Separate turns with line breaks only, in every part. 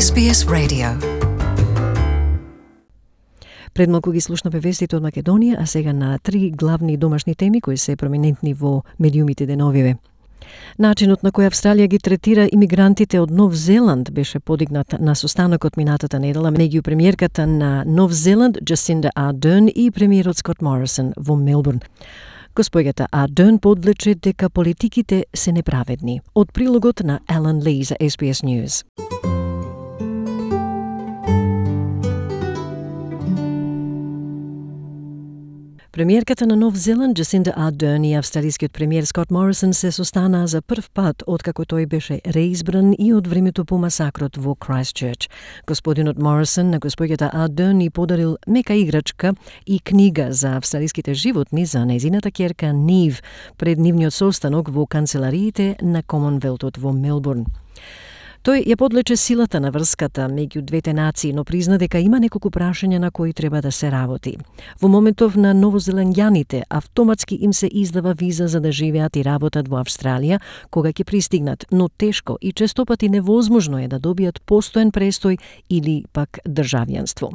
SBS Radio. Пред малку ги слушнавме вестите од Македонија, а сега на три главни домашни теми кои се проминентни во медиумите деновиве. Начинот на кој Австралија ги третира имигрантите од Нов Зеланд беше подигнат на состанокот минатата недела меѓу премиерката на Нов Зеланд Джасинда Ардерн и премиерот Скот Морисон во Мелбурн. Госпоѓата Ардерн подвлече дека политиките се неправедни. Од прилогот на Алан Ли за SBS News. Премиерката на Нов Зеланд Джасинда Ардерн и австралискиот премиер Скот Морисон се состанаа за прв пат откако тој беше реизбран и од времето по масакрот во Крайстчерч. Господинот Морисон на госпоѓата Ардерн ни подарил мека играчка и книга за австралиските животни за нејзината ќерка Нив пред нивниот состанок во канцелариите на Комонвелтот во Мелбурн. Тој ја подлече силата на врската меѓу двете нации, но призна дека има неколку прашања на кои треба да се работи. Во моментов на новозеландјаните автоматски им се издава виза за да живеат и работат во Австралија кога ќе пристигнат, но тешко и честопати невозможно е да добијат постоен престој или пак државјанство.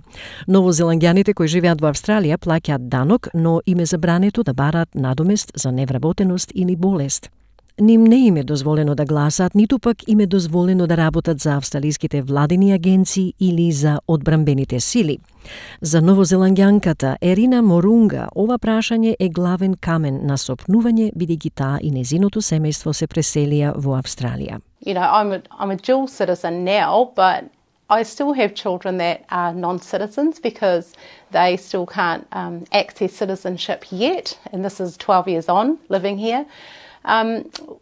Новозеландјаните кои живеат во Австралија плаќаат данок, но им е забрането да бараат надомест за невработеност или болест. Ним не им е дозволено да гласаат, ниту пак им е дозволено да работат за австралиските владини агенции или за одбранбените сили. За новозеландјанката Ерина Морунга ова прашање е главен камен на сопнување, бидејќи таа и незиното семејство се преселија во Австралија.
You know, I'm a dual citizen now, but I still have children that are non-citizens because they still can't access citizenship yet, and this is 12 years on living here.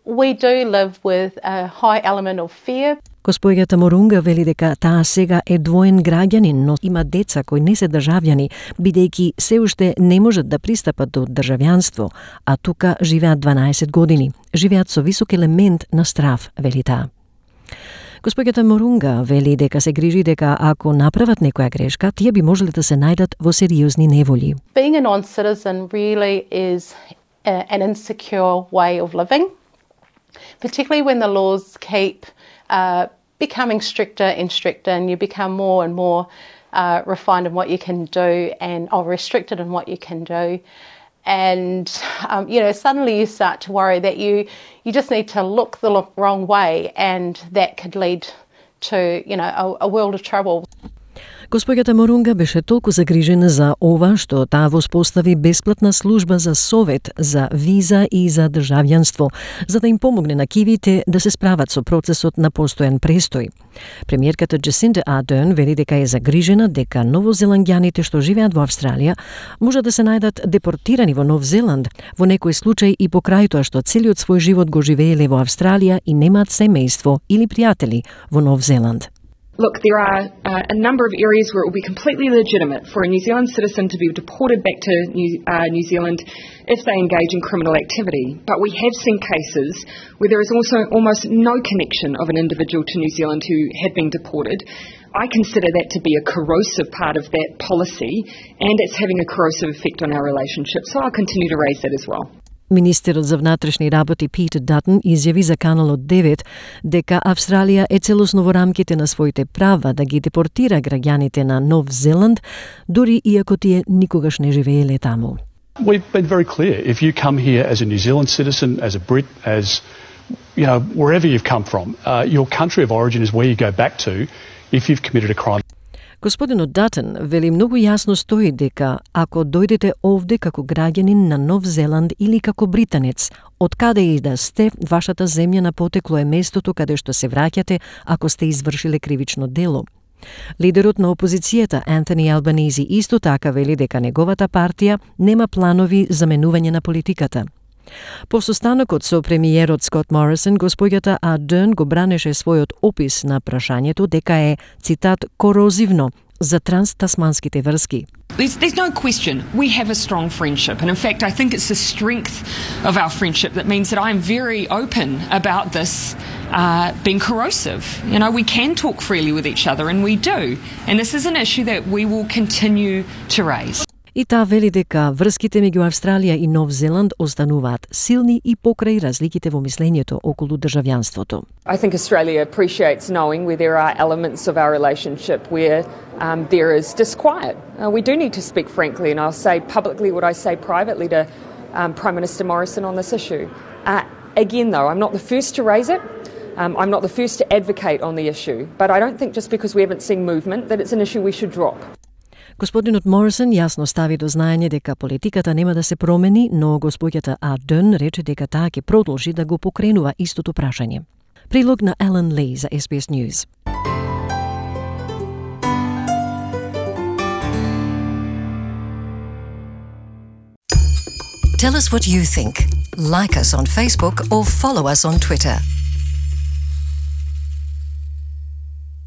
We do live with a high element of fear.
Госпоѓата Морунга вели дека таа сега е двоен граѓанин, но има деца кои не се државјани, бидејќи се уште не можат да пристапат до државјанство, а тука живеат 12 години. Живеат со висок елемент на страв, вели таа. Госпоѓата Морунга вели дека се грижи дека ако направат некоја грешка, тие би можеле да се најдат во сериозни неволи.
Being a non-citizen really is an insecure way of living, particularly when the laws keep becoming stricter and stricter, and you become more and more refined in what you can do or restricted in what you can do. And, suddenly you start to worry that you just need to look the wrong way, and that could lead to, a world of trouble.
Госпоѓата Морунга беше толку загрижена за ова што таа воспостави бесплатна служба за совет, за виза и за државјанство, за да им помогне на кивите да се справат со процесот на постојан престој. Премиерката Джасинда Ардерн вели дека е загрижена дека новозеландјаните што живеат во Австралија може да се најдат депортирани во Нов Зеланд, во некој случај и покрај тоа што целиот свој живот го живееле во Австралија и немаат семејство или пријатели во Нов Зеланд.
Look, there are a number of areas where it will be completely legitimate for a New Zealand citizen to be deported back to New Zealand if they engage in criminal activity. But we have seen cases where there is also almost no connection of an individual to New Zealand who had been deported. I consider that to be a corrosive part of that policy, and it's having a corrosive effect on our relationship. So I'll continue to raise that as well.
Министерот за внатрешни работи Пит Датон изјави за Каналот 9 дека Австралија е целосно во рамките на своите права да ги депортира граѓаните на Нов Зеланд, дури иако тие никогаш не живееле таму.
We've been very clear. If you come here as a New Zealand citizen, as a Brit, as wherever you've come from, your country of origin is where you go back to if you've committed a crime.
Господинот Датон вели многу јасно стои дека ако дојдете овде како граѓанин на Нов Зеланд или како британец, од каде и да сте, вашата земја на потекло е местото каде што се враќате ако сте извршиле кривично дело. Лидерот на опозицијата Антони Албанизи исто така вели дека неговата партија нема планови за менување на политиката. По состанокот со премиерот Скот Морисон, госпоѓата Ардерн го бранеше својот опис на прашањето дека е, цитат, корозивно за транстасманските врски.
There's no question we have a strong friendship, and in fact I think it's the strength of our friendship that means that I'm very open about this being corrosive. We can talk freely with each other, and we do, and this is an issue that we will continue to raise.
И таа вели дека врските меѓу Австралија и Нов Зеланд остануваат силни и покрај разликите во мислењето околу државјанството.
I think Australia appreciates knowing where there are elements of our relationship where there is disquiet. We do need to speak frankly, and I'll say publicly what I say privately to Prime Minister Morrison on this issue. Again, though, I'm not the first to raise it. I'm not the first to advocate on the issue, but I don't think just because we haven't seen movement that it's an issue we should drop.
Господинот Морисон јасно стави до знаење дека политиката нема да се промени, но госпоѓата Ардерн рече дека таа ќе продолжи да го покренува истото прашање. Прилог на Елен Ли за SBS News.
Tell us what you think. Like us on Facebook or follow us on Twitter.